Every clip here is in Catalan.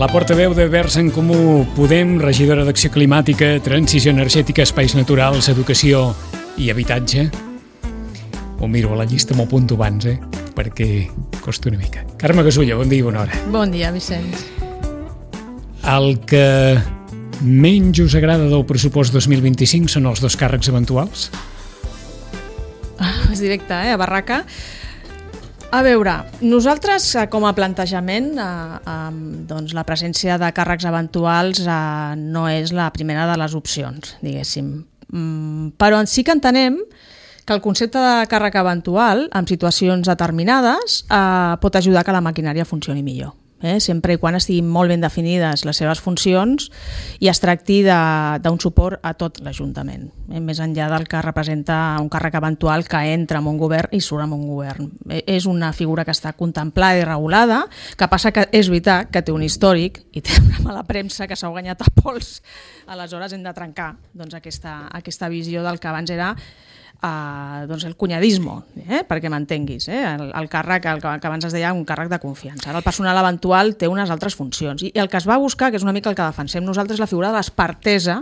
La portaveu de Verds en Comú Podem, regidora d'Acció Climàtica, Transició Energètica, Espais Naturals, Educació i Habitatge. Ho miro a la llista, m'ho apunto abans, perquè costa una mica. Carme Gasulla, bon dia i bona hora. Bon dia, Vicenç. El que menys us agrada del pressupost 2025 són els dos càrrecs eventuals? És directe, a barraca. A veure, nosaltres com a plantejament doncs la presència de càrrecs eventuals no és la primera de les opcions, diguéssim. Però sí que entenem que el concepte de càrrec eventual en situacions determinades pot ajudar que la maquinària funcioni millor. Sempre i quan estiguin molt ben definides les seves funcions i es tracti d'un suport a tot l'Ajuntament, més enllà del que representa un càrrec eventual que entra en un govern i surt en un govern. És una figura que està contemplada i regulada, que passa que és veritat que té un històric i té una mala premsa que s'ha guanyat a pols. Aleshores hem de trencar aquesta visió del que abans era el cunyadismo, perquè m'entenguis, el càrrec, el que abans es deia un càrrec de confiança. Ara el personal eventual té unes altres funcions i el que es va buscar, que és una mica el que defensem nosaltres, és la figura de l'expertesa,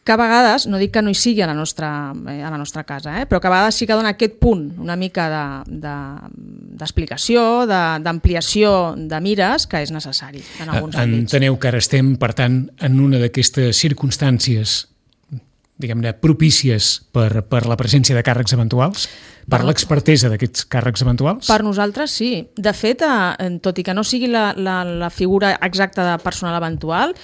que a vegades, no dic que no hi sigui a la nostra casa, però que a vegades sí que dona aquest punt una mica d'explicació, d'ampliació de mires que és necessari en alguns àmbits. Enteneu que ara estem, per tant, en una d'aquestes circumstàncies diguem-ne, propícies per la presència de càrrecs eventuals, per l'expertesa d'aquests càrrecs eventuals? Per nosaltres sí. De fet, tot i que no sigui la figura exacta de personal eventual,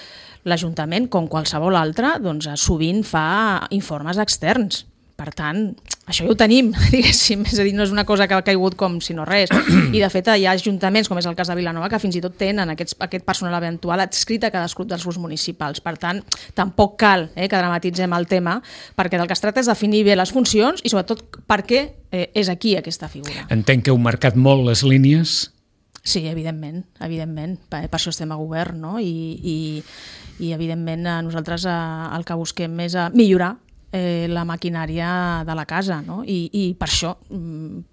l'Ajuntament, com qualsevol altre, doncs, sovint fa informes externs. Per tant, això ja ho tenim, diguéssim, és a dir, no és una cosa que ha caigut com si no res. I de fet hi ha ajuntaments, com és el cas de Vilanova, que fins i tot tenen aquest personal eventual adscrit a cadascun dels grups municipals. Per tant, tampoc cal que dramatitzem el tema, perquè del que es tracta és definir bé les funcions i sobretot per què és aquí aquesta figura. Entenc que heu marcat molt les línies. Sí, evidentment. Per això estem a govern, no? I evidentment nosaltres el que busquem és millorar la maquinària de la casa, no? I per això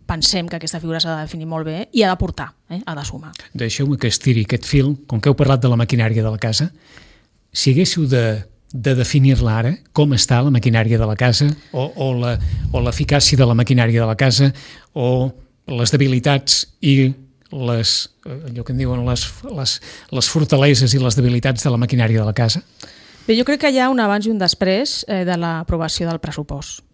pensem que aquesta figura s'ha de definir molt bé i ha de portar, ha de sumar. Deixeu-me que estiri aquest fil, com que heu parlat de la maquinària de la casa, si haguéssiu de definir-la ara, com està la maquinària de la casa o l'eficàcia de la maquinària de la casa o les debilitats i allò que en diuen les fortaleses i les debilitats de la maquinària de la casa? Bé, jo crec que hi ha un abans i un després de l'aprovació del pressupost.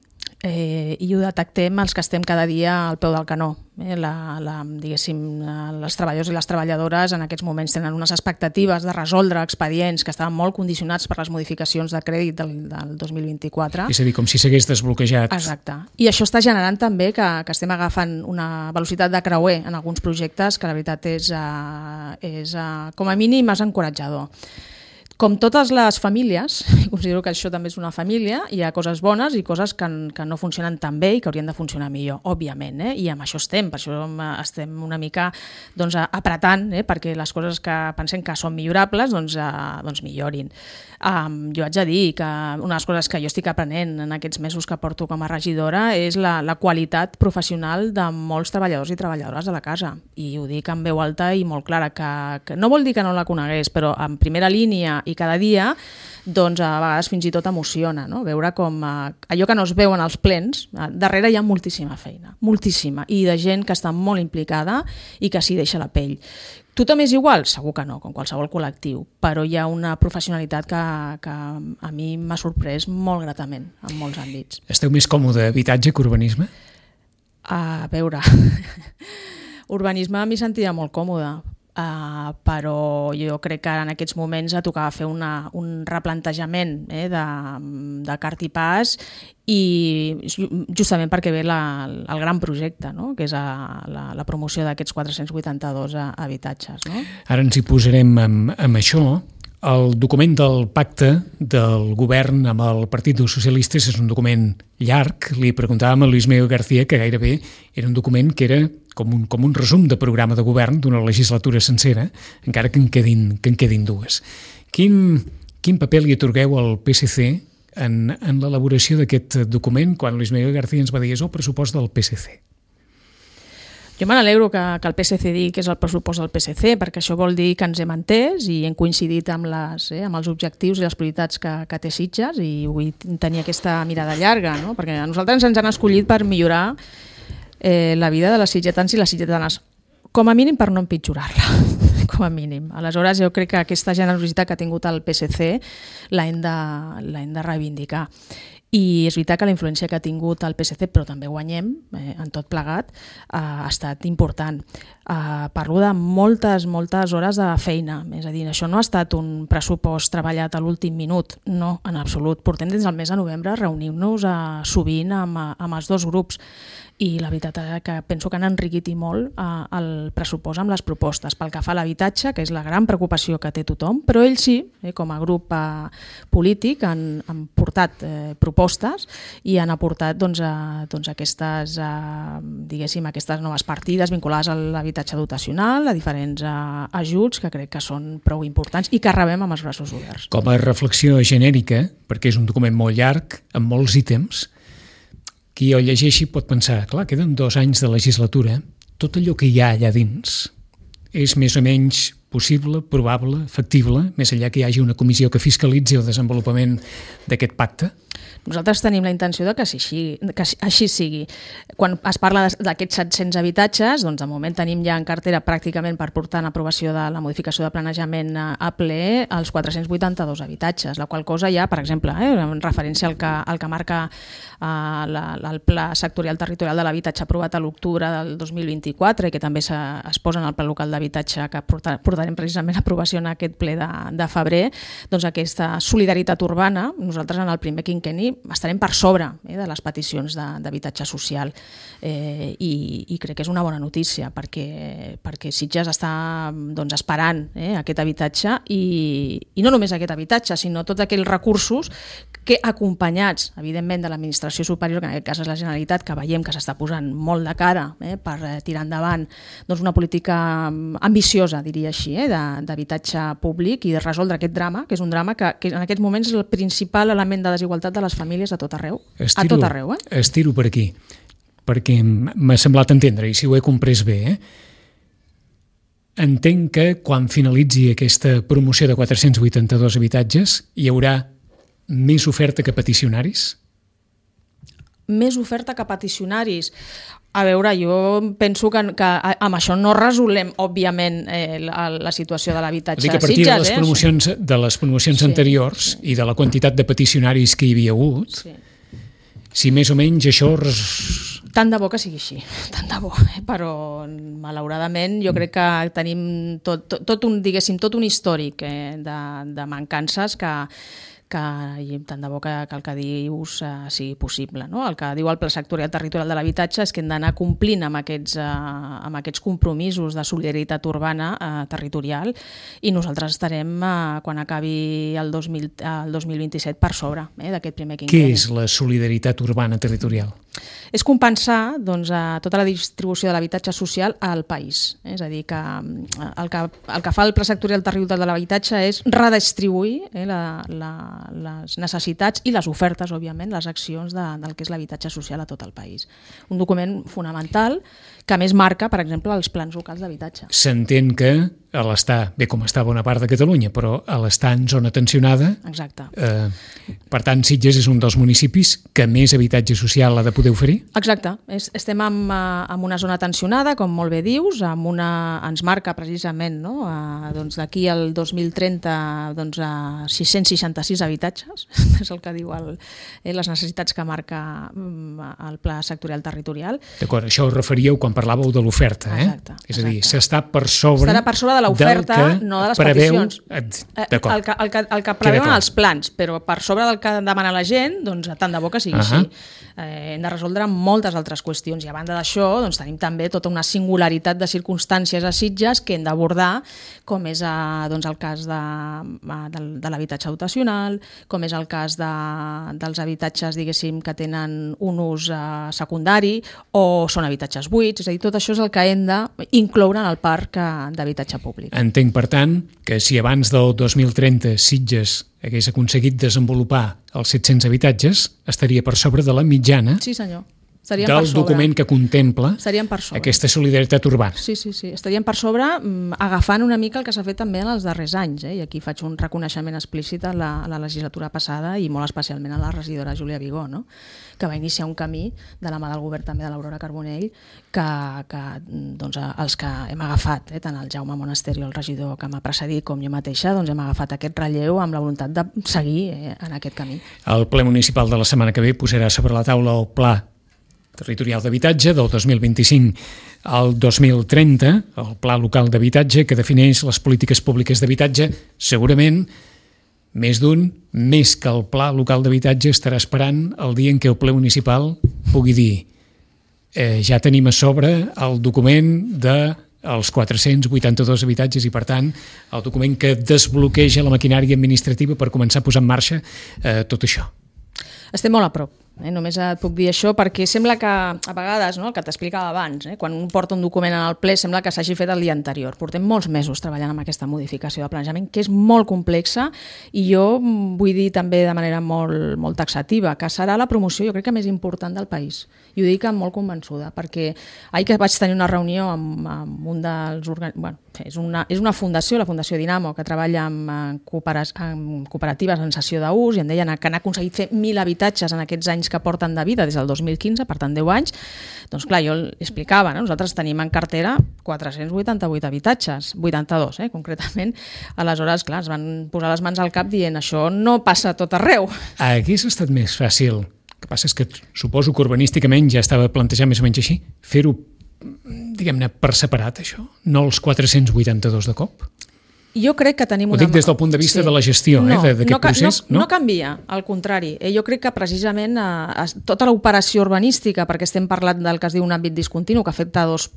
I ho detectem els que estem cada dia al peu del canó. Diguéssim, els treballadors i les treballadores en aquests moments tenen unes expectatives de resoldre expedients que estaven molt condicionats per les modificacions de crèdit del 2024. És a dir, com si s'hagués desbloquejat. Exacte. I això està generant també que estem agafant una velocitat de creuer en alguns projectes que la veritat és com a mínim és encoratjador. Com totes les famílies, considero que això també és una família, hi ha coses bones i coses que no funcionen tan bé i que haurien de funcionar millor, òbviament, i amb això estem, per això estem una mica apretant perquè les coses que pensem que són millorables doncs millorin. Jo haig de dir que una de les coses que jo estic aprenent en aquests mesos que porto com a regidora és la qualitat professional de molts treballadors i treballadores de la casa, i ho dic en veu alta i molt clara, que no vol dir que no la conegués, però en primera línia i cada dia, doncs a vegades fins i tot emociona, no? Veure com allò que no es veu en els plens, darrere hi ha moltíssima feina, moltíssima, i de gent que està molt implicada i que s'hi deixa la pell. Tothom és igual? Segur que no, com qualsevol col·lectiu, però hi ha una professionalitat que a mi m'ha sorprès molt gratament en molts àmbits. Esteu més còmode habitatge que urbanisme? A veure, urbanisme m'hi sentia molt còmode, però jo crec que en aquests moments tocava fer un replantejament de cart i pas, i justament perquè ve el gran projecte, no? Que és la promoció d'aquests 482 habitatges. No? Ara ens hi posarem amb això. El document del pacte del govern amb el Partit dels Socialistes és un document llarg. Li preguntàvem a Luis Miguel García que gairebé era un document que era com un resum de programa de govern d'una legislatura sencera, encara que en quedin dues. Quin paper li atorgueu al PSC en l'elaboració d'aquest document quan Luis Miguel García ens va dir és el pressupost del PSC? Jo me n'alegro que el PSC digui que és el pressupost del PSC, perquè això vol dir que ens hem entès i hem coincidit amb els objectius i les prioritats que té Sitges, i vull tenir aquesta mirada llarga, no? Perquè a nosaltres ens han escollit per millorar la vida de les sitgetans i les sitgetanes, com a mínim per no empitjorar-la, com a mínim. Aleshores, jo crec que aquesta generositat que ha tingut el PSC l'hem de reivindicar. I és veritat que la influència que ha tingut el PSC, però també guanyem en tot plegat, ha estat important. Parlo de moltes hores de feina, és a dir, això no ha estat un pressupost treballat a l'últim minut, no, en absolut. Portem des del mes de novembre reunint-nos sovint amb els dos grups, i la veritat és que penso que han enriquit i molt el pressupost amb les propostes. Pel que fa a l'habitatge, que és la gran preocupació que té tothom, però ells sí, com a grup polític, han portat propostes i han aportat aquestes noves partides vinculades a l'habitatge dotacional, a diferents ajuts que crec que són prou importants i que rebem amb els braços oberts. Com a reflexió genèrica, perquè és un document molt llarg, amb molts ítems, qui el llegeixi pot pensar, clar, queden 2 anys de legislatura, tot allò que hi ha allà dins és més o menys possible, probable, factible, més enllà que hi hagi una comissió que fiscalitzi el desenvolupament d'aquest pacte? Nosaltres tenim la intenció de que així sigui. Quan es parla d'aquests 700 habitatges, doncs de moment tenim ja en cartera pràcticament per portar en aprovació de la modificació de planejament a ple els 482 habitatges, la qual cosa ja, per exemple, en referència al que marca el Pla Sectorial Territorial de l'Habitatge aprovat a l'octubre del 2024 i que també es posa en el Pla Local d'Habitatge que portarem precisament a aprovació en aquest ple de febrer, doncs aquesta solidaritat urbana, nosaltres en el primer quinquenni estarem per sobre de les peticions d'habitatge social, i crec que és una bona notícia perquè Sitges està esperant aquest habitatge, i no només aquest habitatge, sinó tots aquells recursos que, acompanyats evidentment de l'administració superior, que en aquest cas és la Generalitat, que veiem que s'està posant molt de cara per tirar endavant una política ambiciosa, diria així, d'habitatge públic i de resoldre aquest drama, que és un drama que en aquests moments és el principal element de desigualtat de les famílies a tot arreu. Estiro per aquí, perquè m'ha semblat entendre, i si ho he comprès bé, entenc que quan finalitzi aquesta promoció de 482 habitatges hi haurà més oferta que peticionaris? Més oferta que peticionaris? A veure, jo penso que amb això no resolem, òbviament, la situació de l'habitatge a Sitges. A partir de les promocions anteriors i de la quantitat de peticionaris que hi havia hagut, si més o menys això... Tant de bo que sigui així, tant de bo, però malauradament jo crec que tenim tot un històric de mancances que tant de bo que el que dius sigui possible. No? El que diu el Pla Sectorial Territorial de l'Habitatge és que hem d'anar complint amb aquests compromisos de solidaritat urbana territorial, i nosaltres estarem, quan acabi el 2027, per sobre d'aquest primer quinquenni. Què és la solidaritat urbana territorial? És compensar tota la distribució de l'habitatge social al país. És a dir, que el que fa el Pla Sectorial Territorial de l'Habitatge és redistribuir les necessitats i les ofertes, òbviament, les accions del que és l'habitatge social a tot el país. Un document fonamental que a més marca, per exemple, els plans locals d'habitatge. S'entén que a l'estar, bé com està bona part de Catalunya, però a l'estar en zona tensionada... Exacte. Per tant, Sitges és un dels municipis que més habitatge social ha de poder oferir? Exacte. Estem en una zona tensionada, com molt bé dius, ens marca precisament d'aquí al 2030 666 habitatges, és el que diu les necessitats que marca el Pla Sectorial Territorial. D'acord, això us referíeu quan parlàveu de l'oferta, Exacte. És a dir, s'està per sobre... Estarà per sobre de l'oferta, no de les peticions. D'acord. El que preveuen els plans, però per sobre del que demana la gent, doncs tant de bo que sigui així. Hem de resoldre moltes altres qüestions, i a banda d'això tenim també tota una singularitat de circumstàncies a Sitges que hem d'abordar, com és el cas de l'habitatge dotacional, com és el cas dels habitatges, diguéssim, que tenen un ús secundari o són habitatges buits. És a dir, tot això és el que hem d'incloure en el parc d'habitatge públic. Entenc, per tant, que si abans del 2030 Sitges hagués aconseguit desenvolupar els 700 habitatges, estaria per sobre de la mitjana. Sí, senyor. del document que contempla aquesta solidaritat urbana. Sí. Estaríem per sobre, agafant una mica el que s'ha fet també en els darrers anys, i aquí faig un reconeixement explícit a la legislatura passada i molt especialment a la regidora Júlia Vigó, no? Que va iniciar un camí de la mà del govern també de l'Aurora Carbonell que doncs, els que hem agafat, tant el Jaume Monasterio, el regidor que m'ha precedit, com jo mateixa, doncs hem agafat aquest relleu amb la voluntat de seguir en aquest camí. El ple municipal de la setmana que ve posarà sobre la taula el pla territorial d'habitatge del 2025 al 2030, el pla local d'habitatge que defineix les polítiques públiques d'habitatge. Segurament més d'un, més que el pla local d'habitatge, estarà esperant el dia en què el ple municipal pugui dir ja tenim a sobre el document dels 482 habitatges i, per tant, el document que desbloqueja la maquinària administrativa per començar a posar en marxa tot això. Estem molt a prop. Només et puc dir això perquè sembla que a vegades, el que t'explicava abans, quan un porta un document en el ple sembla que s'hagi fet el dia anterior. Portem molts mesos treballant amb aquesta modificació de planejament que és molt complexa i jo vull dir també de manera molt taxativa que serà la promoció jo crec que més important del país. I ho dic molt convençuda perquè ahir que vaig tenir una reunió amb un dels és una fundació, la Fundació Dinamo, que treballa amb cooperatives en cessió d'ús i em deien que han aconseguit fer 1.000 habitatges en aquests anys que porten de vida des del 2015, per tant 10 anys, doncs clar, jo explicava, nosaltres tenim en cartera 488 habitatges, 82 concretament, aleshores clar, es van posar les mans al cap dient això no passa a tot arreu. Hagués estat més fàcil, el que passa és que suposo que urbanísticament ja estava plantejat més o menys així, fer-ho, diguem-ne, per separat això, no els 482 de cop? Jo crec que tenim una... Ho dic des del punt de vista de la gestió d'aquest procés. No canvia, al contrari. Jo crec que precisament tota l'operació urbanística, perquè estem parlant del que es diu un àmbit discontinu, que afecta dos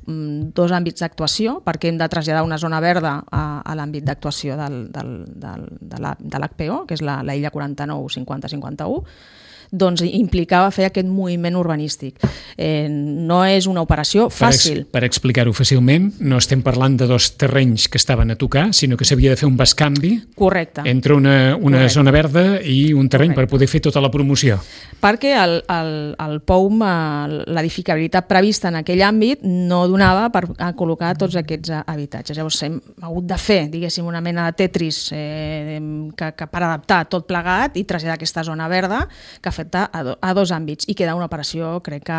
àmbits d'actuació, perquè hem de traslladar una zona verda a l'àmbit d'actuació de l'HPO, que és la Illa 49 50-51, doncs implicava fer aquest moviment urbanístic. No és una operació fàcil. Per explicar-ho fàcilment, no estem parlant de dos terrenys que estaven a tocar, sinó que s'havia de fer un bescanvi entre una zona verda i un terreny per poder fer tota la promoció. Perquè el POUM, l'edificabilitat prevista en aquell àmbit, no donava per col·locar tots aquests habitatges. Llavors hem hagut de fer, diguéssim, una mena de Tetris per adaptar tot plegat i traslladar aquesta zona verda que afecta a dos àmbits i queda una operació, crec que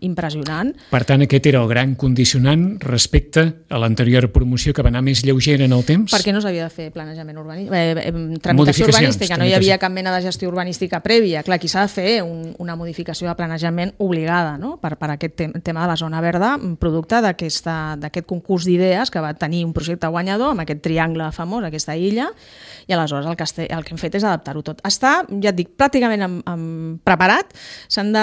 impressionant. Per tant, aquest era el gran condicionant respecte a l'anterior promoció que va anar més lleugera en el temps? Perquè no s'havia de fer planejament tramitació urbanística, no hi havia cap mena de gestió urbanística prèvia. Clar, aquí s'ha de fer una modificació de planejament obligada, no? Per aquest tema de la zona verda, producte d'aquest concurs d'idees que va tenir un projecte guanyador amb aquest triangle famós, aquesta illa, i aleshores el que hem fet és adaptar-ho tot. Està, ja et dic, pràcticament preparat, s'han de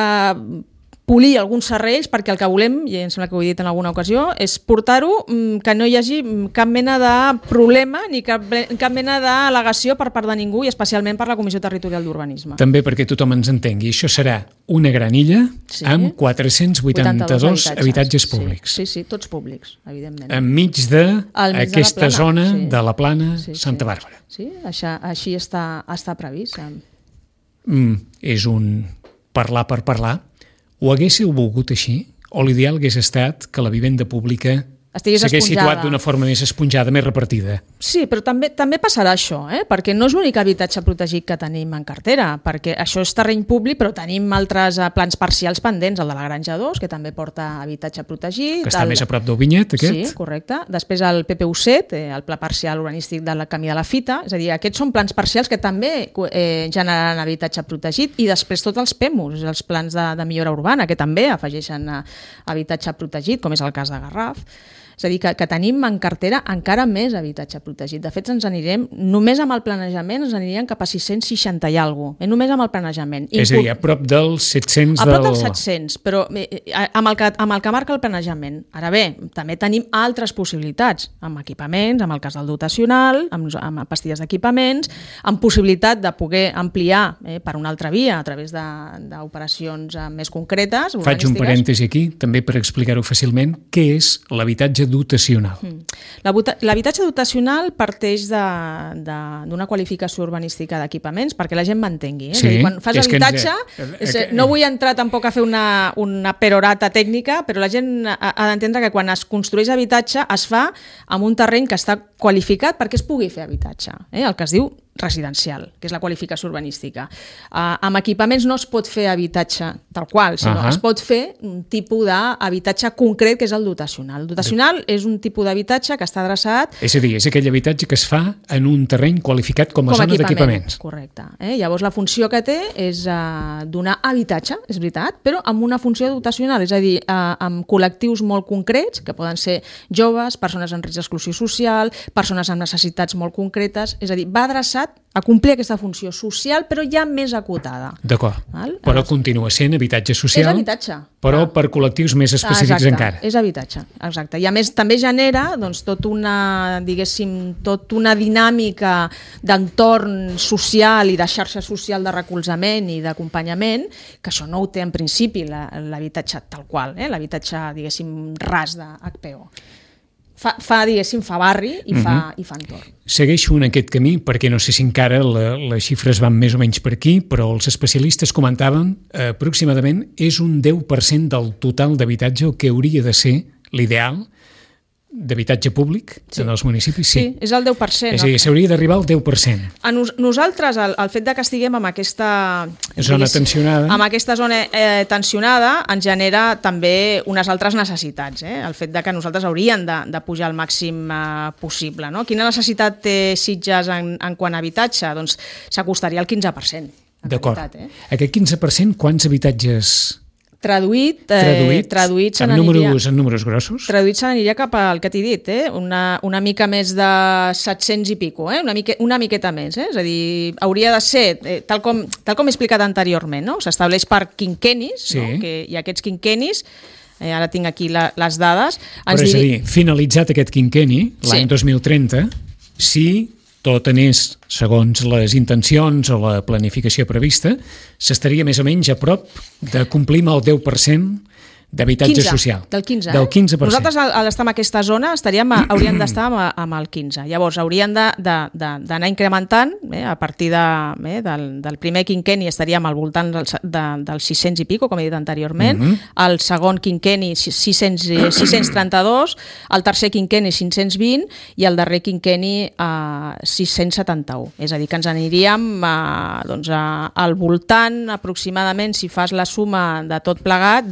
polir alguns serrells perquè el que volem, i em sembla que ho he dit en alguna ocasió, és portar-ho que no hi hagi cap mena de problema ni cap mena d'al·legació per part de ningú i especialment per la Comissió Territorial d'Urbanisme. També perquè tothom ens entengui, això serà una gran illa amb 482 habitatges públics. Sí, tots públics, evidentment. Enmig d'aquesta zona de la Plana Santa Bàrbara. Sí, així està previst. És un parlar per parlar. Ho haguéssiu volgut així? O l'ideal hagués estat que la vivenda pública s'hagués situat d'una forma més esponjada, més repartida? Sí, però també passarà això, perquè no és l'únic habitatge protegit que tenim en cartera, perquè això és terreny públic, però tenim altres plans parcials pendents, el de la Granja 2, que també porta habitatge protegit. Que està més a prop del Vinyet, aquest? Sí, correcte. Després el PPU7, el Pla Parcial Urbanístic del Camí de la Fita, és a dir, aquests són plans parcials que també generaran habitatge protegit, i després tots els PEMUs, els plans de millora urbana, que també afegeixen habitatge protegit, com és el cas de Garraf. És a dir, que tenim en cartera encara més habitatge protegit. De fet, ens anirem, només amb el planejament, ens aniríem cap a 660 i alguna cosa. Només amb el planejament. És a dir, a prop dels 700 A prop dels 700, però amb el que marca el planejament. Ara bé, també tenim altres possibilitats, amb equipaments, amb el cas del dotacional, amb pastilles d'equipaments, amb possibilitat de poder ampliar per una altra via, a través d'operacions més concretes. Faig un parèntesi aquí, també per explicar-ho fàcilment. Què és l'habitatge l'habitatge dotacional. L'habitatge dotacional parteix d'una qualificació urbanística d'equipaments, perquè la gent m'entengui. Sí, és a dir, quan fas habitatge, no vull entrar tampoc a fer una perorata tècnica, però la gent ha d'entendre que quan es construeix habitatge es fa amb un terreny que està qualificat perquè es pugui fer habitatge, el que es diu residencial, que és la qualificació urbanística. Amb equipaments no es pot fer habitatge tal qual, sinó es pot fer un tipus d'habitatge concret que és el dotacional. El dotacional és un tipus d'habitatge que està adreçat... És a dir, és aquell habitatge que es fa en un terreny qualificat com a zona d'equipaments. Correcte. Llavors la funció que té és donar habitatge, és veritat, però amb una funció dotacional, és a dir, amb col·lectius molt concrets, que poden ser joves, persones en risc d'exclusió social, persones amb necessitats molt concretes, és a dir, va adreçat a complir aquesta funció social, però ja més acotada. D'acord. Però continua sent habitatge social, és habitatge, però per col·lectius més específics encara. És habitatge, exacte. I a més també genera tota una dinàmica d'entorn social i de xarxa social de recolzament i d'acompanyament, que això no ho té en principi l'habitatge tal qual, l'habitatge, diguéssim, ras de HPO. Fa barri i fa entorn. Segueixo en aquest camí perquè no sé si encara les xifres van més o menys per aquí, però els especialistes comentaven aproximadament és un 10% del total d'habitatge el que hauria de ser l'ideal d'habitatge públic en els municipis. Sí, és el 10%. És a dir, s'hauria d'arribar al 10%. Nosaltres, el fet que estiguem amb aquesta zona tensionada, ens genera també unes altres necessitats. El fet que nosaltres hauríem de pujar al màxim possible. No? Quina necessitat té Sitges en quant a habitatge? Doncs s'acostaria al 15%. D'acord. Aquest 15%, quants habitatges... Traduït en números grossos? Traduït se n'aniria cap al que t'he dit, una mica més de 700 i pico, una miqueta més. És a dir, hauria de ser, tal com he explicat anteriorment, no? S'estableix per quinquennis, sí. No? I aquests quinquennis, ara tinc aquí les dades... Però és a dir, finalitzat aquest quinquenni, l'any 2030, si... tot anés segons les intencions o la planificació prevista, s'estaria més o menys a prop de complir amb el 10% d'habitatge social. Del 15%. Del 15%. Nosaltres, al estar en aquesta zona, hauríem d'estar amb el 15%. Llavors, hauríem d'anar incrementant, a partir del primer quinquenni estaríem al voltant dels 600 i pico, com he dit anteriorment, el segon quinquenni 632, el tercer quinquenni 520 i el darrer quinquenni 671. És a dir, que ens aniríem al voltant, aproximadament, si fas la suma de tot plegat,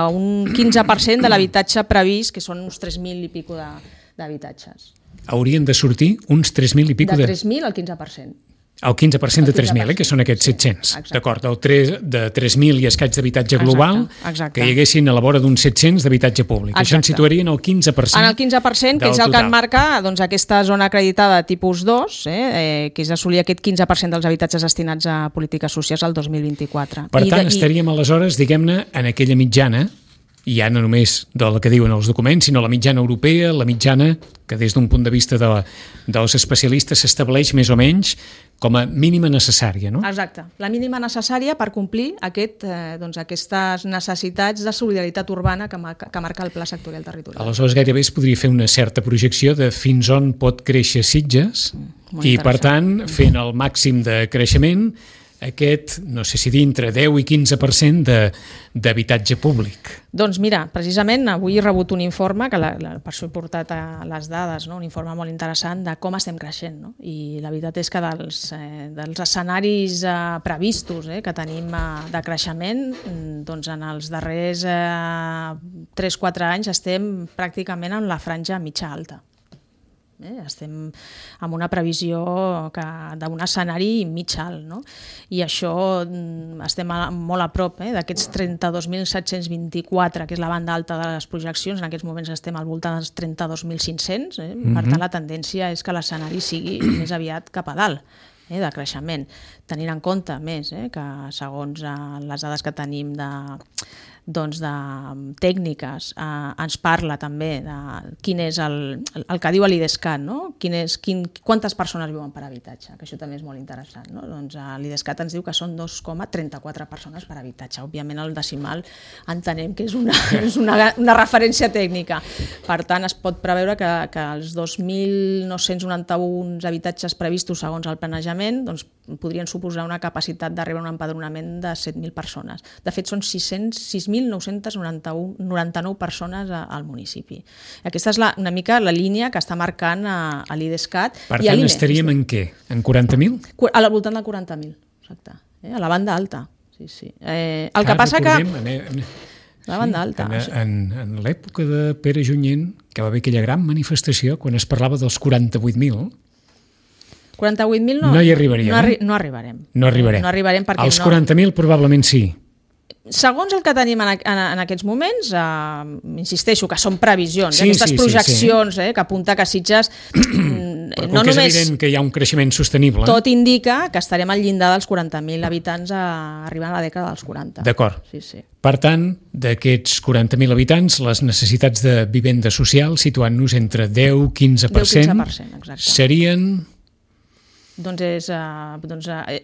d'un 15% de l'habitatge previst, que són uns 3.000 i pico d'habitatges. Haurien de sortir uns 3.000 i pico de 3.000 al 15%. El 15% de 3.000, que són aquests 700. Exacte. D'acord, de 3.000 i escaig d'habitatge global, exacte. Que hi haguessin a la vora d'uns 700 d'habitatge públic. Exacte. Això ens situaria en el 15%. En el 15%, que és el que enmarca aquesta zona acreditada tipus 2, que és assolir aquest 15% dels habitatges destinats a polítiques socials al 2024. Per tant, estaríem aleshores, diguem-ne, en aquella mitjana, i ja no només del que diuen els documents, sinó la mitjana europea, la mitjana que des d'un punt de vista dels especialistes s'estableix més o menys com a mínima necessària, no? Exacte, la mínima necessària per complir aquestes necessitats de solidaritat urbana que marca el Pla Sectorial Territorial. Aleshores, gairebé es podria fer una certa projecció de fins on pot créixer Sitges i, per tant, fent el màxim de creixement, aquest, no sé si dintre 10 i 15% d'habitatge públic. Doncs mira, precisament avui he rebut un informe, que per això he portat a les dades, no? Un informe molt interessant de com estem creixent. No? I la veritat és que dels escenaris previstos que tenim de creixement, doncs en els darrers 3-4 anys estem pràcticament en la franja mitja-alta. Estem amb una previsió d'un escenari mig alt, no? I això estem molt a prop d'aquests 32.724, que és la banda alta de les projeccions. En aquests moments estem al voltant dels 32.500. Per tant, la tendència és que l'escenari sigui més aviat cap a dalt. de creixement. Tenint en compte més que segons les dades que tenim de tècniques, ens parla també de quin és el que diu l'IDESCAT, no? Quantes persones viuen per habitatge, que això també és molt interessant. No? Doncs l'IDESCAT ens diu que són 2,34 persones per habitatge. Òbviament el decimal entenem que és una referència tècnica. Per tant, es pot preveure que els 2.991 habitatges previstos segons el planejament doncs, podrien suposar una capacitat d'arribar a un empadronament de 7.000 persones. De fet, són 6.999 persones al municipi. Aquesta és una mica la línia que està marcant a l'IDESCAT. Per tant, estaríem en què? En 40.000? Al voltant de 40.000, exacte. A la banda alta. Sí. El que passa que... La banda alta. En l'època de Pere Junyent, que va haver aquella gran manifestació, quan es parlava dels 48.000... 48.000 no hi arribaríem. No arribarem. No arribarem perquè els 40.000 probablement sí. Segons el que tenim en aquests moments, insisteixo que són previsions, aquestes projeccions que apunta que Sitges... Però que és evident que hi ha un creixement sostenible. Tot indica que estarem al llindar dels 40.000 habitants arribant a la dècada dels 40. D'acord. Sí. Per tant, d'aquests 40.000 habitants, les necessitats de vivenda social, situant-nos entre 10-15%, serien... Doncs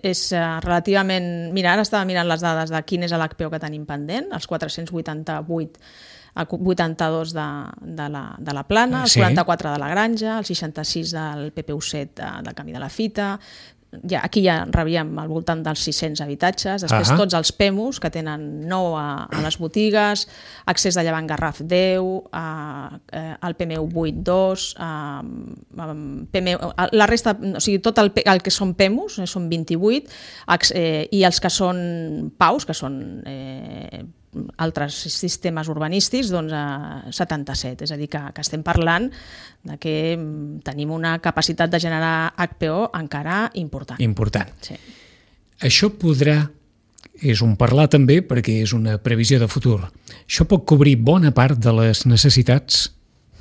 és relativament... Mira, ara estava mirant les dades de quin és l'HPO que tenim pendent, els 482 de la Plana, els 44 de la Granja, els 66 del PPU7 del Camí de la Fita. Aquí ja rebíem al voltant dels 600 habitatges, després tots els PEMUs, que tenen 9 a les botigues, accés de Llevant Garraf 10, el PMU 8 2, la resta, o sigui, tot el que són PEMUs, són 28, i els que són PAUs, que són altres sistemes urbanístics, doncs 77. És a dir, que estem parlant de que tenim una capacitat de generar HPO encara important. Sí. Això és un parlar també perquè és una previsió de futur. Això pot cobrir bona part de les necessitats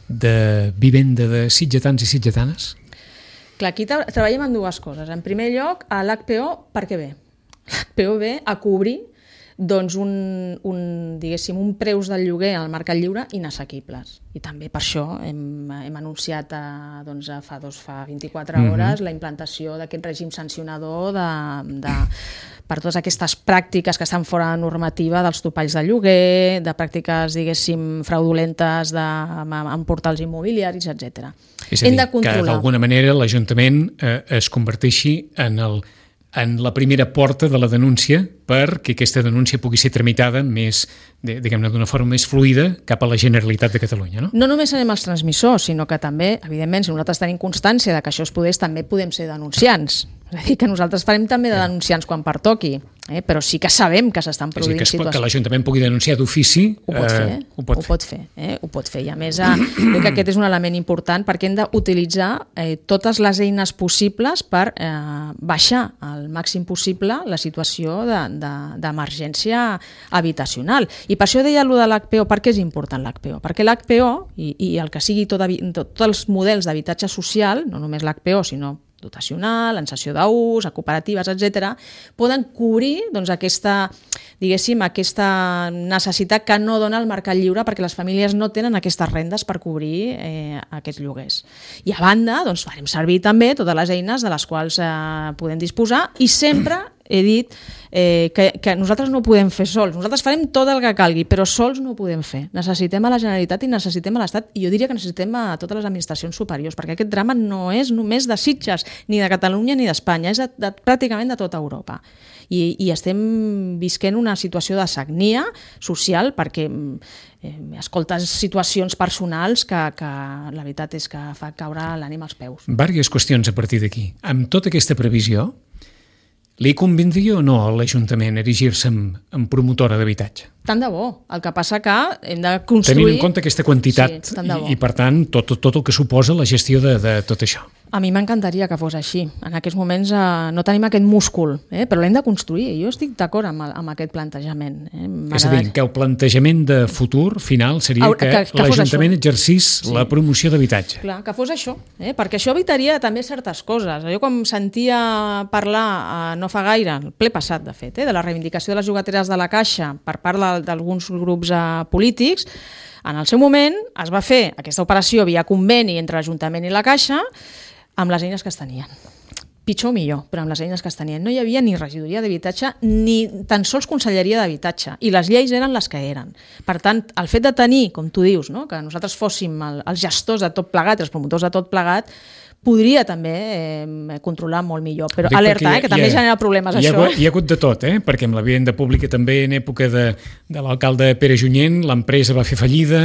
de vivenda de sitgetans i sitgetanes? Clar, aquí treballem en dues coses. En primer lloc, l'HPO per què ve? L'HPO ve a cobrir diguéssim, un preus del lloguer al mercat lliure inassequibles. I també per això hem anunciat fa 24 hores la implantació d'aquest règim sancionador per totes aquestes pràctiques que estan fora de normativa dels topalls de lloguer, de pràctiques, diguéssim, fraudulentes en portals immobiliaris, etc. És a dir, que d'alguna manera l'Ajuntament es converteixi en la primera porta de la denúncia perquè aquesta denúncia pugui ser tramitada més, diguem-ne, d'una forma més fluida cap a la Generalitat de Catalunya, no? No només serem els transmissors, sinó que també, evidentment, si nosaltres tenim constància de que això es podés, també podem ser denunciants. És a dir, que nosaltres farem també de denunciants quan pertoqui, però sí que sabem que s'estan produint situacions. Que l'Ajuntament pugui denunciar d'ofici, ho pot fer. I a més, crec que aquest és un element important perquè hem d'utilitzar totes les eines possibles per baixar al màxim possible la situació d'emergència habitacional. I per això deia allò de l'HPO. Per què és important l'HPO? Perquè l'HPO, i el que sigui tots els models d'habitatge social, no només l'HPO, sinó dotacional, en cessió d'ús, a cooperatives, etc., poden cobrir aquesta necessitat que no dona el mercat lliure perquè les famílies no tenen aquestes rendes per cobrir aquests lloguers. I a banda, farem servir també totes les eines de les quals podem disposar i sempre he dit que nosaltres no ho podem fer sols. Nosaltres farem tot el que calgui, però sols no ho podem fer. Necessitem a la Generalitat i necessitem a l'Estat, i jo diria que necessitem a totes les administracions superiors, perquè aquest drama no és només de Sitges, ni de Catalunya ni d'Espanya, és pràcticament de tota Europa. I estem visquent una situació de sagnia social perquè escoltes situacions personals que la veritat és que fa caure l'ànima als peus. Vàries qüestions a partir d'aquí. Amb tota aquesta previsió, li convindria o no a l'Ajuntament erigir-se en promotora d'habitatge? Tant de bo. El que passa que hem de construir... Tenint en compte aquesta quantitat i per tant, tot el que suposa la gestió de tot això. A mi m'encantaria que fos així. En aquests moments no tenim aquest múscul, però l'hem de construir. Jo estic d'acord amb aquest plantejament. És a dir, que el plantejament de futur final seria que l'Ajuntament exercís la promoció d'habitatge. Clar, que fos això, perquè això evitaria també certes coses. Jo quan sentia parlar no fa gaire, el ple passat de fet, de la reivindicació de les llogateres de la Caixa per part d'alguns grups polítics, en el seu moment es va fer aquesta operació via conveni entre l'Ajuntament i la Caixa amb les eines que es tenien. Pitjor o millor, però amb les eines que es tenien. No hi havia ni regidoria d'habitatge ni tan sols conselleria d'habitatge, i les lleis eren les que eren. Per tant, el fet de tenir, com tu dius, que nosaltres fóssim els gestors de tot plegat, els promotors de tot plegat, podria també controlar molt millor. Però alerta, que també genera problemes això. Hi ha hagut de tot, perquè amb la vivenda pública també en època de l'alcalde Pere Junyent l'empresa va fer fallida,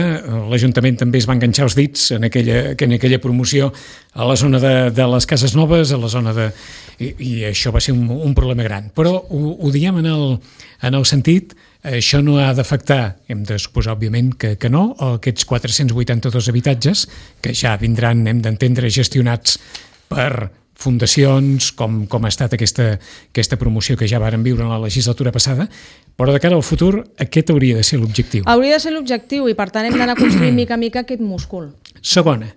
l'Ajuntament també es va enganxar els dits en aquella promoció a la zona de les cases noves, a la zona de... I això va ser un problema gran. Però ho diem en el sentit... Això no ha d'afectar, hem de suposar, òbviament, que no, aquests 482 habitatges, que ja vindran, hem d'entendre, gestionats per fundacions, com ha estat aquesta promoció que ja varen viure en la legislatura passada, però de cara al futur aquest hauria de ser l'objectiu. Hauria de ser l'objectiu i, per tant, hem d'anar construint mica a mica aquest múscul. Segona,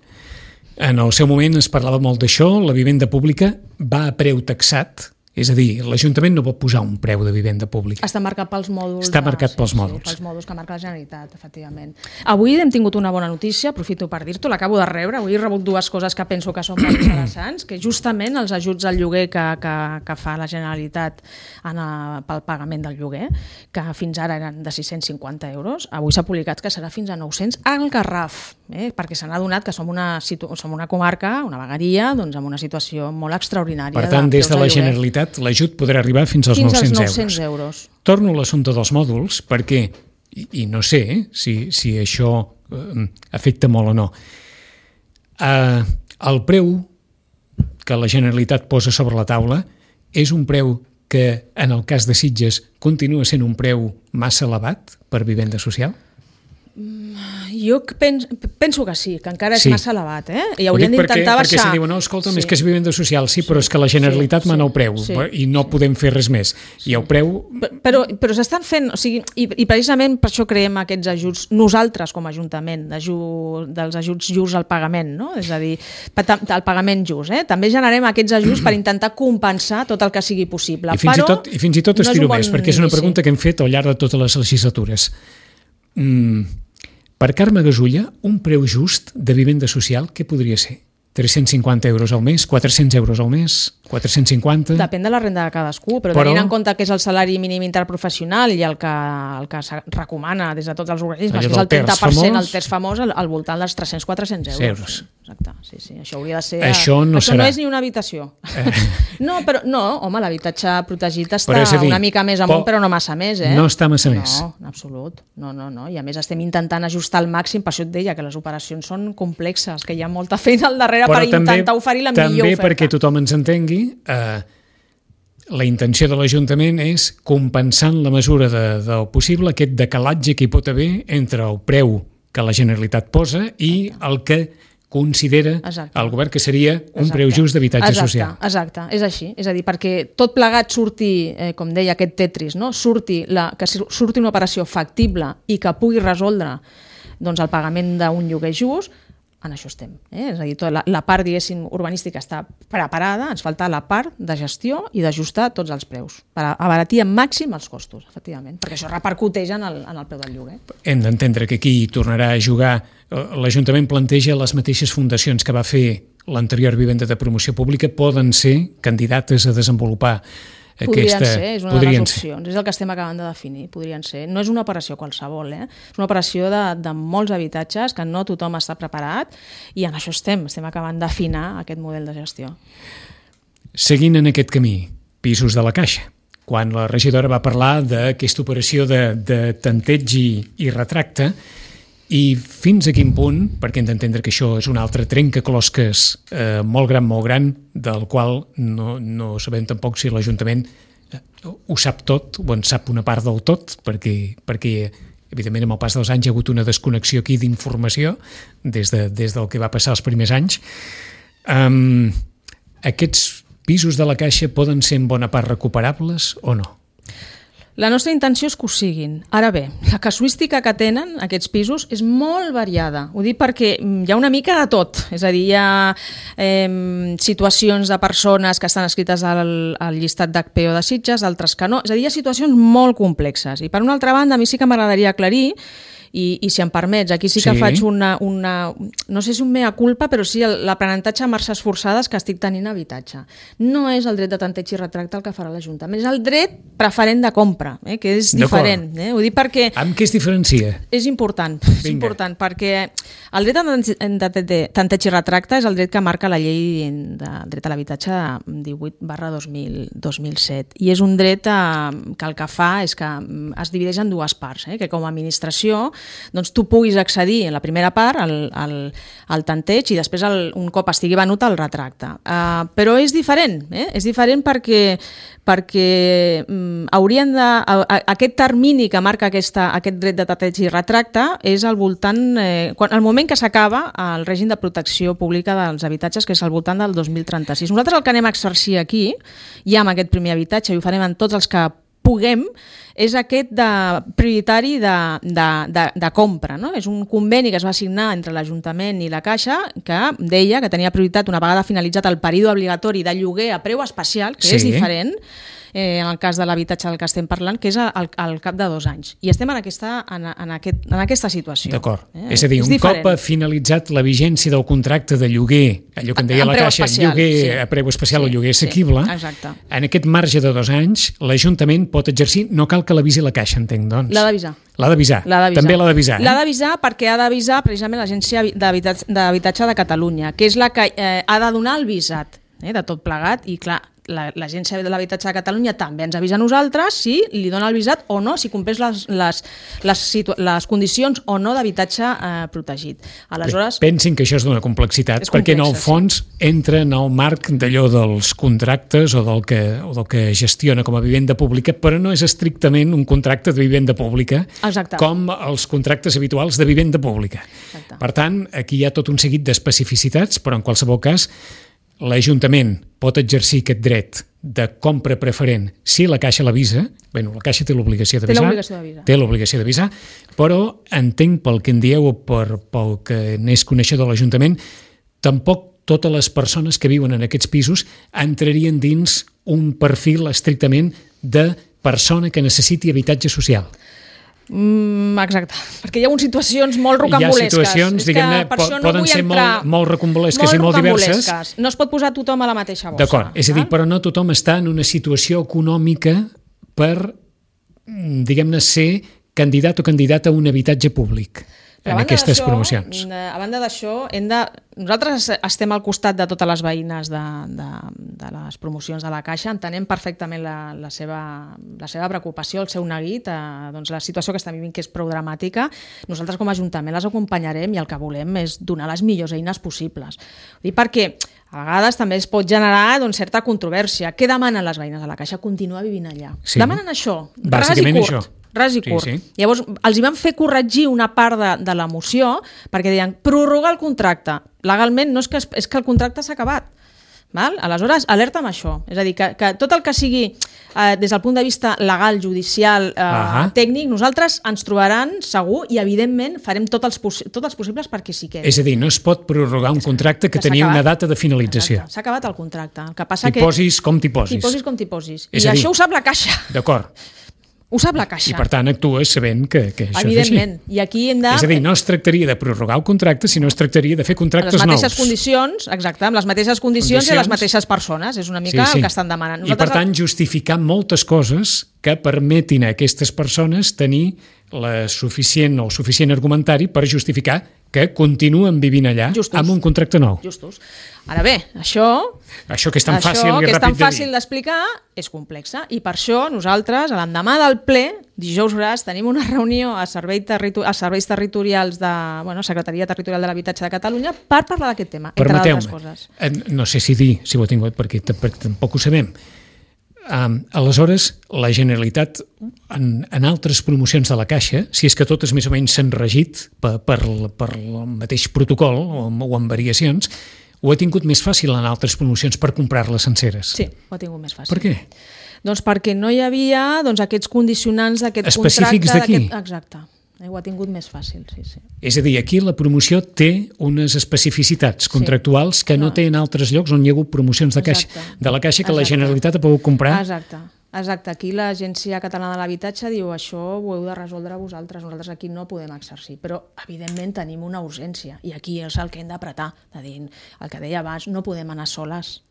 en el seu moment es parlava molt d'això, la vivenda pública va a preu taxat. És a dir, l'Ajuntament no pot posar un preu de vivenda pública. Està marcat pels mòduls. Està marcat pels mòduls. Sí, pels mòduls que marca la Generalitat, efectivament. Avui hem tingut una bona notícia, aprofito per dir-t'ho, l'acabo de rebre. Avui he rebut dues coses que penso que són molt interessants, que justament els ajuts al lloguer que fa la Generalitat pel pagament del lloguer, que fins ara eren de 650 euros, avui s'ha publicat que serà fins a 900 al Garraf, perquè s'han adonat que som una comarca, una vegueria, doncs, amb una situació molt extraordinària. Per tant, des de la Generalitat l'ajut podrà arribar fins als 900 euros. Torno a l'assumpte dels mòduls perquè, i no sé si això afecta molt o no, el preu que la Generalitat posa sobre la taula és un preu que en el cas de Sitges continua sent un preu massa elevat per vivenda social? Jo penso que sí, que encara és massa elevat, i haurien d'intentar baixar. Perquè si diuen, no, escolta'm, és que és vivenda social, però és que la Generalitat mana el preu i no podem fer res més. I el preu... Però s'estan fent, i precisament per això creem aquests ajuts, nosaltres com a Ajuntament, dels ajuts just al pagament, no? És a dir, el pagament just, també generem aquests ajuts per intentar compensar tot el que sigui possible. I fins i tot estiro més, perquè és una pregunta que hem fet al llarg de totes les legislatures. Per Carme Gasulla, un preu just de vivenda social, què podria ser? 350 euros al mes, 400 euros al mes, 450... Depèn de la renda de cadascú, però tenint en compte que és el salari mínim interprofessional i el que se recomana des de tots els organismes, que és el 30%, el terç famós, al voltant dels 300-400 euros. Exacte, sí. Això hauria de ser... Això no és ni una habitació. No, home, l'habitatge protegit està una mica més amunt, però no massa més, No està massa més. No, en absolut. No. I a més estem intentant ajustar al màxim, per això et deia que les operacions són complexes, que hi ha molta feina al darrere per intentar oferir la millor oferta. També perquè tothom ens entengui, la intenció de l'Ajuntament és, compensant la mesura del possible, aquest decalatge que hi pot haver entre el preu que la Generalitat posa i el que considera el govern que seria un preu just d'habitatge social. Exacte, és així. És a dir, perquè tot plegat surti, com deia aquest Tetris, que surti una operació factible i que pugui resoldre el pagament d'un lloguer just, en això estem. És a dir, la part, diguéssim, urbanística està preparada, ens falta la part de gestió i d'ajustar tots els preus, per abaratir en màxim els costos, efectivament, perquè això repercuteix en el preu del lloguer. Hem d'entendre que aquí tornarà a jugar, l'Ajuntament planteja les mateixes fundacions que va fer l'anterior vivenda de promoció pública, poden ser candidates a desenvolupar Podrien ser, és una de les opcions, és el que estem acabant de definir, podrien ser. No és una operació qualsevol, és una operació de molts habitatges que no tothom està preparat i en això estem acabant d'afinar aquest model de gestió. Seguint en aquest camí, pisos de la Caixa, quan la regidora va parlar d'aquesta operació de tanteig i retracte, i fins a quin punt, perquè hem d'entendre que això és un altre trencaclosques molt gran, del qual no sabem tampoc si l'Ajuntament ho sap tot o en sap una part del tot, perquè evidentment amb el pas dels anys hi ha hagut una desconnexió aquí d'informació des del que va passar els primers anys. Aquests pisos de la Caixa poden ser en bona part recuperables o no? La nostra intenció és que ho siguin. Ara bé, la casuística que tenen aquests pisos és molt variada. Ho dic perquè hi ha una mica de tot. És a dir, hi ha situacions de persones que estan escrites al llistat d'HPO de Sitges, altres que no. És a dir, hi ha situacions molt complexes. I per una altra banda, a mi sí que m'agradaria aclarir, i si em permets, aquí sí que faig una no sé si un mea culpa, però sí l'aprenentatge a marxes forçades que estic tenint a habitatge. No és el dret de tanteig i retracte el que farà l'Ajuntament, és el dret preferent de compra, que és diferent. Ho dic perquè... Amb què es diferencia? És important, perquè el dret de tanteig i retracte és el dret que marca la llei del dret a l'habitatge 18/2007, i és un dret que el que fa és que es divideix en dues parts, que com a administració doncs tu puguis accedir en la primera part al tanteig i després un cop estigui venut al retracte. Però és diferent, és diferent perquè haurien de... Aquest termini que marca aquest dret de tanteig i retracte és al voltant... el moment que s'acaba el règim de protecció pública dels habitatges, que és al voltant del 2036. Nosaltres el que anem a exercir aquí, ja amb aquest primer habitatge, i ho farem en tots els que puguem, és aquest prioritari de compra. No? És un conveni que es va signar entre l'Ajuntament i la Caixa que deia que tenia prioritat una vegada finalitzat el període obligatori de lloguer a preu especial, que és diferent en el cas de l'habitatge del que estem parlant, que és al cap de 2 anys. I estem en aquesta situació. D'acord. És a dir, un cop ha finalitzat la vigència del contracte de lloguer, allò que en deia la Caixa, lloguer a preu especial o lloguer assequible, en aquest marge de 2 anys, l'Ajuntament pot exercir, no cal que l'avisi la Caixa, entenc, doncs. L'ha d'avisar. L'ha d'avisar. També l'ha d'avisar. L'ha d'avisar perquè ha d'avisar precisament l'Agència d'Habitatge de Catalunya, que és la que ha de donar el visat de tot plegat, i clar, l'Agència de l'Habitatge de Catalunya també ens avisa a nosaltres si li dona el visat o no, si compleix les condicions o no d'habitatge protegit. Aleshores, pensin que això és d'una complexitat, perquè en el fons entra en el marc d'allò dels contractes o del que gestiona com a vivenda pública, però no és estrictament un contracte de vivenda pública com els contractes habituals de vivenda pública. Per tant, aquí hi ha tot un seguit d'especificitats, però en qualsevol cas l'Ajuntament pot exercir aquest dret de compra preferent si la Caixa l'avisa. Bé, la Caixa té l'obligació d'avisar, però entenc pel que en dieu o pel que n'és coneixedor de l'Ajuntament, tampoc totes les persones que viuen en aquests pisos entrarien dins un perfil estrictament de persona que necessiti habitatge social. Exacte, perquè hi ha situacions molt rocambolesques. Hi ha situacions, diguem-ne, poden ser molt rocambolesques i molt diverses. No es pot posar tothom a la mateixa bossa. D'acord, és a dir, però no tothom està en una situació econòmica per, diguem-ne, ser candidat o candidata a un habitatge públic en aquestes promocions. A banda d'això, nosaltres estem al costat de totes les veïnes de les promocions de la Caixa, entenem perfectament la seva preocupació, el seu neguit, doncs la situació que estem vivint, que és prou dramàtica. Nosaltres com a Ajuntament les acompanyarem i el que volem és donar les millors eines possibles. Ho dic perquè a vegades també es pot generar certa controvèrsia. Què demanen les veïnes de la Caixa? Continuar vivint allà. Demanen això, ras i curt. Llavors, els hi van fer corregir una part de la moció perquè deien prorrogar el contracte. Legalment no és que el contracte s'ha acabat. Aleshores, alerta amb això. És a dir, que tot el que sigui des del punt de vista legal, judicial, tècnic, nosaltres ens trobaran segur i, evidentment, farem tots els possibles perquè s'hi quedi. És a dir, no es pot prorrogar un contracte que tenia una data de finalització. S'ha acabat el contracte. El que passa que... T'hi posis com t'hi posis. T'hi posis com t'hi posis. I això ho sap la Caixa. D'acord. Ho sap la Caixa. I per tant actues sabent que això és així. Evidentment. I aquí hem de... És a dir, no es tractaria de prorrogar el contracte, sinó es tractaria de fer contractes nous. Amb les mateixes condicions, exacte, amb les mateixes condicions i les mateixes persones. És una mica el que estan demanant. I per tant justificar moltes coses que permetin a aquestes persones tenir el suficient argumentari per justificar que continuen vivint allà amb un contracte nou. Justos. Ara bé, això que és tan fàcil d'explicar és complexa i per això nosaltres, a l'endemà del ple, dijous gras, tenim una reunió a serveis territorials de Secretaria Territorial de l'Habitatge de Catalunya per parlar d'aquest tema, entre altres coses. No sé si ho he tingut perquè tampoc ho sabem. Aleshores, la Generalitat en altres promocions de la Caixa, si és que totes més o menys s'han regit per el mateix protocol o amb variacions, ho ha tingut més fàcil en altres promocions per comprar-les senceres? Sí, ho ha tingut més fàcil. Per què? Doncs perquè no hi havia aquests condicionants d'aquest contracte... Específics d'aquí? Exacte. Ho ha tingut més fàcil, sí. És a dir, aquí la promoció té unes especificitats contractuals que no té en altres llocs on hi ha hagut promocions de la Caixa que la Generalitat ha pogut comprar. Exacte. Aquí l'Agència Catalana de l'Habitatge diu això ho heu de resoldre vosaltres, nosaltres aquí no podem exercir, però evidentment tenim una urgència i aquí és el que hem d'apretar, de dir, el que deia abans, no podem anar soles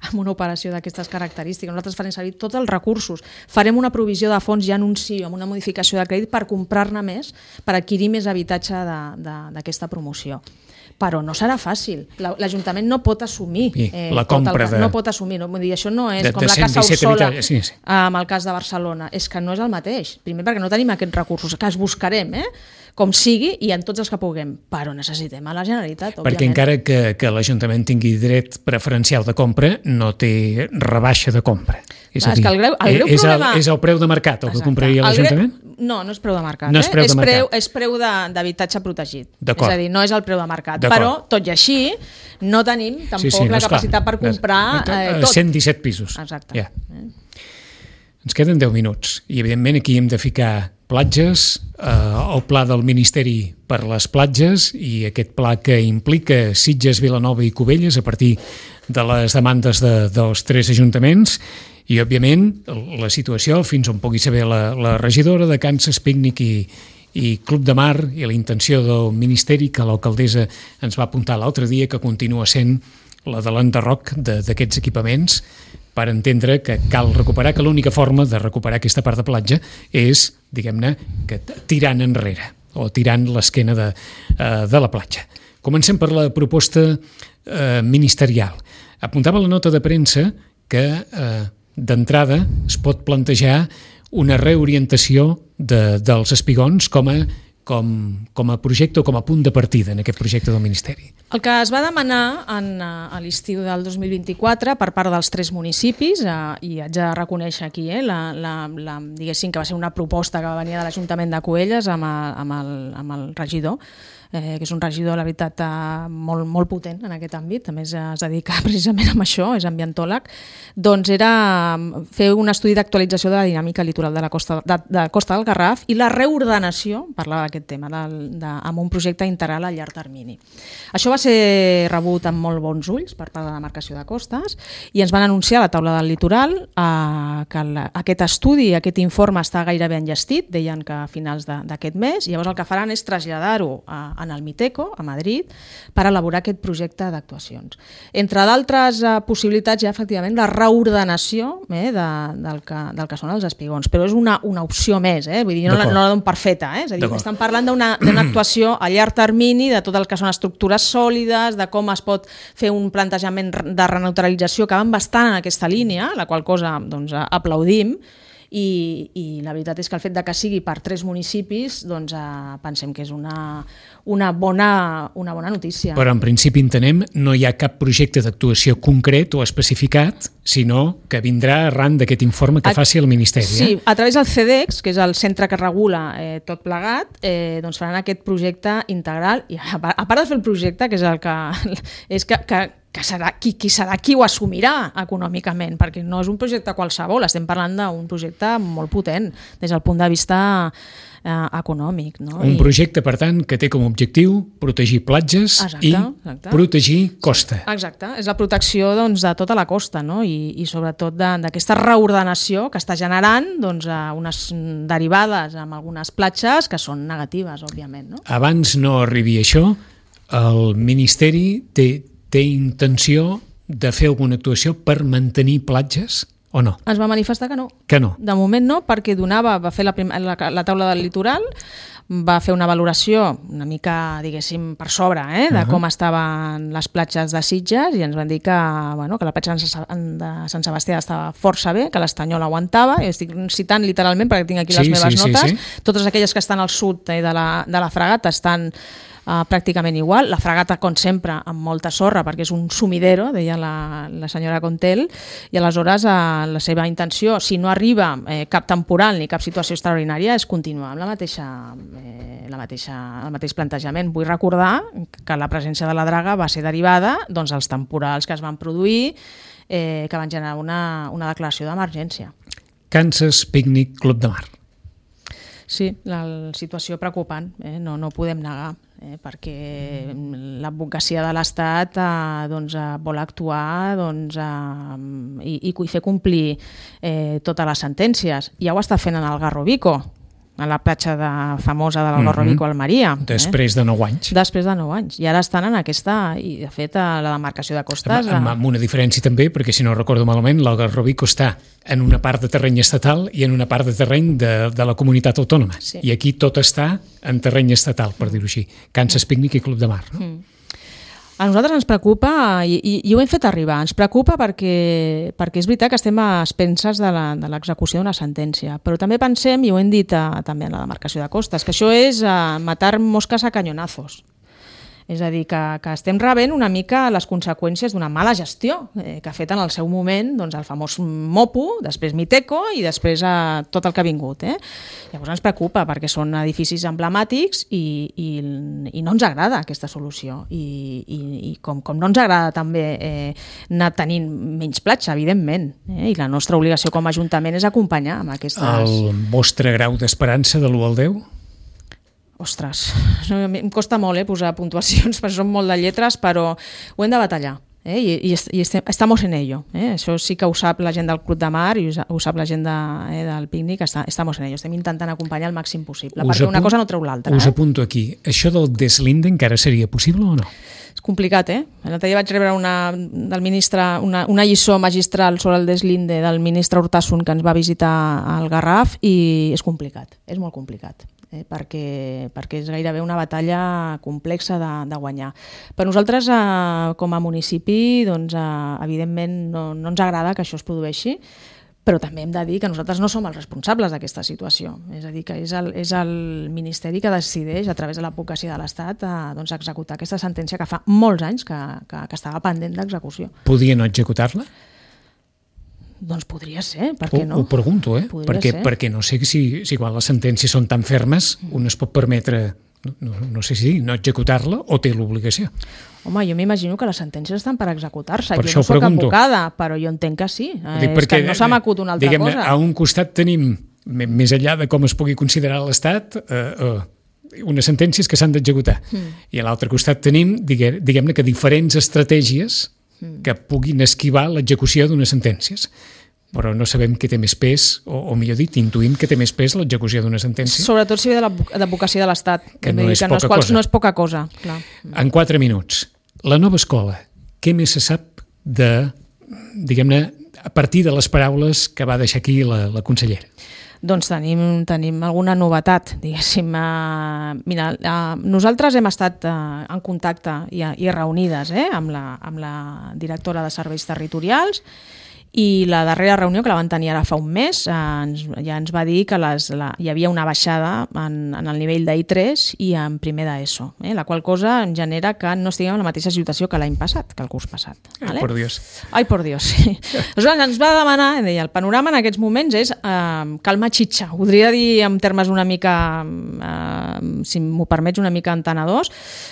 amb una operació d'aquestes característiques, nosaltres farem servir tots els recursos, farem una provisió de fons ja en un sí o en una modificació de crèdit per comprar-ne més, per adquirir més habitatge d'aquesta promoció. Però no serà fàcil. L'Ajuntament no pot assumir la compra no pot assumir. Vull dir, això no és com la Casa Ursola amb el cas de Barcelona. És que no és el mateix. Primer perquè no tenim aquests recursos, que els buscarem, com sigui i en tots els que puguem. Però necessitem a la Generalitat, òbviament. Perquè encara que l'Ajuntament tingui dret preferencial de compra, no té rebaixa de compra. És a dir, és el preu de mercat el que compraria l'Ajuntament? No, no és preu de mercat. No és preu de mercat. És preu d'habitatge protegit. És a dir, no és el preu de mercat. Però, tot i així, no tenim tampoc la capacitat per comprar tot. 117 pisos. Exacte. Ens queden 10 minuts i, evidentment, aquí hem de ficar platges, el pla del Ministeri per les platges i aquest pla que implica Sitges, Vilanova i Cubelles a partir de les demandes dels 3 ajuntaments i, òbviament, la situació fins on pugui saber la regidora de Kansas Pícnic i Club de Mar i la intenció del Ministeri que l'alcaldessa ens va apuntar l'altre dia que continua sent la de l'enderroc d'aquests equipaments per entendre que cal recuperar, que l'única forma de recuperar aquesta part de platja és, diguem-ne, que tirant enrere o tirant l'esquena de la platja. Comencem per la proposta ministerial. Apuntava la nota de premsa que d'entrada es pot plantejar una reorientació dels espigons com a projecte o com a punt de partida en aquest projecte del Ministeri. El que es va demanar a l'estiu del 2024 per part dels 3 municipis, i haig de reconèixer aquí, diguéssim que va ser una proposta que va venir de l'Ajuntament de Cubelles amb el regidor, que és un regidor, la veritat, molt, molt potent en aquest àmbit, a més es dedica precisament a això, és ambientòleg, doncs era fer un estudi d'actualització de la dinàmica litoral de la Costa del Garraf i la reordenació, parlava d'aquest tema, amb un projecte integral a llarg termini. Això va ser rebut amb molt bons ulls per part de la demarcació de costes i ens van anunciar a la taula del litoral que aquest estudi, aquest informe està gairebé enllestit, deien que a finals d'aquest mes, i llavors el que faran és traslladar-ho en el Miteco, a Madrid, per elaborar aquest projecte d'actuacions. Entre d'altres possibilitats hi ha efectivament la reordenació del que són els espigons, però és una opció més, vull dir, no la dono per feta, és a dir, estan parlant d'una actuació a llarg termini de tot el que són estructures sòlides, de com es pot fer un plantejament de reneutralització que van bastant en aquesta línia, la qual cosa doncs, aplaudim, i la veritat és que el fet de que sigui per 3 municipis doncs pensem que és una bona notícia. Però en principi entenem no hi ha cap projecte d'actuació concret o especificat, sinó que vindrà arran d'aquest informe que faci el Ministeri. Sí, a través del CEDEX, que és el centre que regula tot plegat, doncs faran aquest projecte integral i a part de fer el projecte, que és el que és que serà qui ho assumirà econòmicament, perquè no és un projecte qualsevol, estem parlant d'un projecte molt potent des del punt de vista econòmic. No? Un projecte, per tant, que té com a objectiu protegir platges i protegir costa. Exacte, és la protecció doncs, de tota la costa, no? I sobretot d'aquesta reordenació que està generant doncs, unes derivades amb algunes platges que són negatives, òbviament. No? Abans no arribi a això, el Ministeri té intenció de fer alguna actuació per mantenir platges o no? Ens va manifestar que no. Que no? De moment no, perquè va fer la taula del litoral, va fer una valoració una mica, diguéssim, per sobre de com estaven les platges de Sitges i ens van dir que la platja de Sant Sebastià estava força bé, que l'Estanyol aguantava, i estic citant literalment perquè tinc aquí les meves notes. Totes aquelles que estan al sud de la Fragata estan pràcticament igual. La fragata, com sempre, amb molta sorra, perquè és un sumidero, deia la senyora Contel, i aleshores la seva intenció, si no arriba cap temporal ni cap situació extraordinària, és continuar amb el mateix plantejament. Vull recordar que la presència de la draga va ser derivada dels temporals que es van produir, que van generar una declaració d'emergència. Kansas Picnic Club de Mar. Sí, la situació preocupant, no podem negar, perquè l'advocacia de l'Estat vol actuar i fer complir totes les sentències. Ja ho està fent en el Garrovico, a la platja famosa de l'Algarrovico a Almeria. Després de 9 anys. Després de 9 anys. I ara estan en aquesta, i de fet la demarcació de costes... Amb una diferència també, perquè si no recordo malament, l'Algarrovico està en una part de terreny estatal i en una part de terreny de la comunitat autònoma. Sí. I aquí tot està en terreny estatal, per dir-ho així. Kansas Picnic i Club de Mar. No? A nosaltres ens preocupa, i ho hem fet arribar, ens preocupa perquè és veritat que estem a expenses de l'execució d'una sentència, però també pensem, i ho hem dit també en la demarcació de costes, que això és matar mosques a canyonazos. És a dir, que estem rebent una mica les conseqüències d'una mala gestió que ha fet en el seu moment el famós MOPU, després Miteco i després tot el que ha vingut. Llavors ens preocupa perquè són edificis emblemàtics i no ens agrada aquesta solució. I com no ens agrada també anar tenint menys platja, evidentment. I la nostra obligació com a Ajuntament és acompanyar amb aquestes... El vostre grau d'esperança de l'1 al 10? Ostres, em costa molt posar puntuacions, perquè són molt de lletres, però ho hem de batallar. I estamos en ello. Això sí que ho sap la gent del Club de Mar i ho sap la gent del pícnic, estamos en ello. Estem intentant acompanyar el màxim possible, perquè una cosa no treu l'altra. Us apunto aquí. Això del deslinde encara seria possible o no? És complicat, L'altre dia vaig rebre del ministre una lliçó magistral sobre el deslinde del ministre Urtasun, que ens va visitar al Garraf, i és complicat, és molt complicat. Perquè és gairebé una batalla complexa de guanyar. Per nosaltres, com a municipi, evidentment no ens agrada que això es produeixi, però també hem de dir que nosaltres no som els responsables d'aquesta situació. És a dir, que és el Ministeri que decideix, a través de l'advocacia de l'Estat, executar aquesta sentència que fa molts anys que estava pendent d'execució. Podia no executar-la? Doncs podria ser, per què no? Ho pregunto, perquè no sé si quan les sentències són tan fermes un es pot permetre, no sé si no executar-la o té l'obligació. Home, jo m'imagino que les sentències estan per executar-se. Per jo no soc advocada, però jo entenc que sí. És que no s'ha m'acut una altra cosa. A un costat tenim, més enllà de com es pugui considerar l'Estat, unes sentències que s'han d'executar. I a l'altre costat tenim, diguem-ne que diferents estratègies que puguin esquivar l'execució d'unes sentències. Però no sabem què té més pes, o millor dit, intuïm que té més pes l'execució d'una sentència. Sobretot si ve de l'advocacia de l'Estat, que no és poca cosa. Clar. En 4 minuts, la nova escola, què més se sap diguem-ne, a partir de les paraules que va deixar aquí la consellera? Doncs tenim alguna novetat, diguéssim. Mira, nosaltres hem estat en contacte i reunides amb la directora de Serveis Territorials, i la darrera reunió, que la van tenir ara fa un mes, ja ens va dir que hi havia una baixada en el nivell d'I3 i en primer d'ESO, la qual cosa en genera que no estiguem en la mateixa situació que l'any passat, que el curs passat. Ai, por Dios. Ai, por Dios, sí. Aleshores ens va demanar, deia, el panorama en aquests moments és calma xitxa. Ho podria dir en termes una mica, si m'ho permets, una mica entenedors.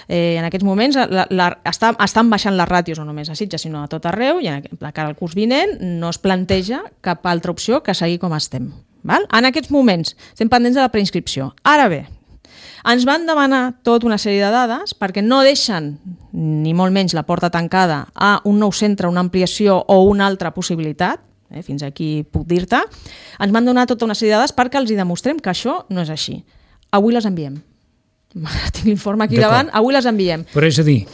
En aquests moments estan baixant les ràtios, no només a Sitges, sinó a tot arreu, i de cara al curs vinent no es planteja cap altra opció que seguir com estem. Val? En aquests moments estem pendents de la preinscripció. Ara bé, ens van demanar tota una sèrie de dades perquè no deixen ni molt menys la porta tancada a un nou centre, una ampliació o una altra possibilitat, fins aquí puc dir-te. Ens van donar tota una sèrie de dades perquè els hi demostrem que això no és així. Avui les enviem. Tinc l'informe aquí davant, avui les enviem. Però és a dir,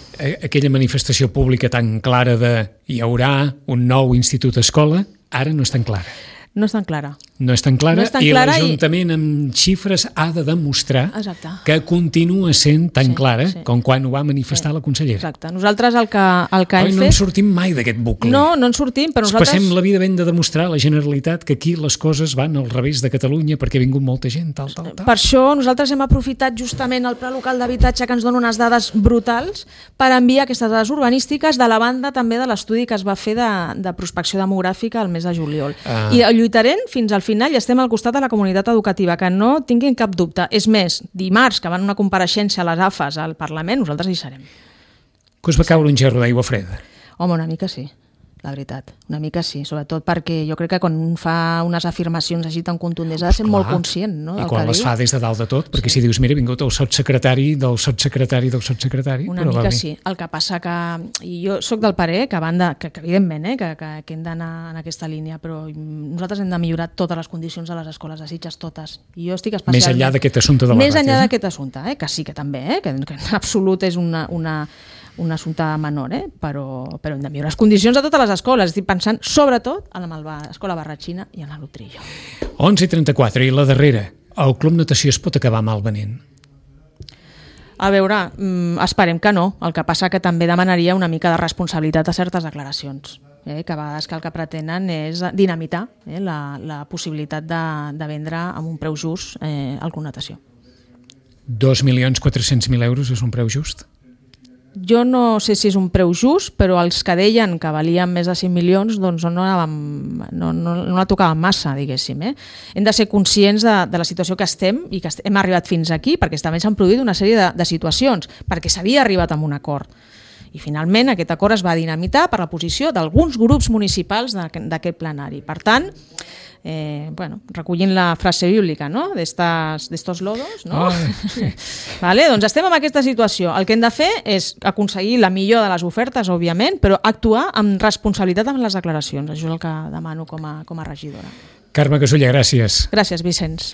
aquella manifestació pública tan clara de hi haurà un nou institut escola, ara no és tan clara. No és tan clara. No és tan clara, i l'Ajuntament amb xifres ha de demostrar que continua sent tan clara com quan ho va manifestar la consellera. Exacte. Nosaltres el que hem fet... No en sortim mai d'aquest bucle. No en sortim, però nosaltres... Passem la vida ben de demostrar a la Generalitat que aquí les coses van al revés de Catalunya perquè ha vingut molta gent, tal. Per això nosaltres hem aprofitat justament el Pla Local d'Habitatge, que ens dona unes dades brutals, per enviar aquestes dades urbanístiques de la banda també de l'estudi que es va fer de prospecció demogràfica al mes de juliol. I lluitarem fins al final i estem al costat de la comunitat educativa, que no tinguin cap dubte. És més, dimarts, que van una compareixença a les AFAs al Parlament, nosaltres hi serem. Que us va caure un gerro d'aigua freda? Home, una mica sí, la veritat. Una mica sí, sobretot perquè jo crec que quan un fa unes afirmacions així tan contundents ha de ser molt conscient, no? I quan les fa des de dalt de tot, perquè si dius, mira, ha vingut el sotssecretari del sotssecretari del sotssecretari... Una mica sí. El que passa que... Jo sóc del parer que evidentment, que hem d'anar en aquesta línia, però nosaltres hem de millorar totes les condicions de les escoles de Sitges, totes. I jo estic especialment... Més enllà d'aquest assumpte de la ràtio. Més enllà d'aquest assumpte, que sí que també, que en absolut és un assumpte menor, però hem de millorar les condicions de totes les escoles. Estic pensant sobretot en l'escola Barratxina i en la Lutrillo. 11:34 i la darrera. El Club Natació es pot acabar mal venent? A veure, esperem que no. El que passa que també demanaria una mica de responsabilitat a certes declaracions, que a vegades el que pretenen és dinamitar la possibilitat de vendre amb un preu just el Club Natació. 2.400.000 euros és un preu just? Jo no sé si és un preu just, però els que deien que valien més de 5 milions doncs no la tocaven massa, diguéssim. Hem de ser conscients de la situació que estem i que hem arribat fins aquí, perquè també s'han produït una sèrie de situacions, perquè s'havia arribat a un acord. I finalment aquest acord es va dinamitar per la posició d'alguns grups municipals d'aquest plenari. Per tant, recollint la frase bíblica, no? d'estos lodos, no? Vale, doncs estem en aquesta situació. El que hem de fer és aconseguir la millor de les ofertes, òbviament, però actuar amb responsabilitat amb les declaracions. Això és el que demano com a regidora. Carme Casulla, gràcies. Gràcies, Vicenç.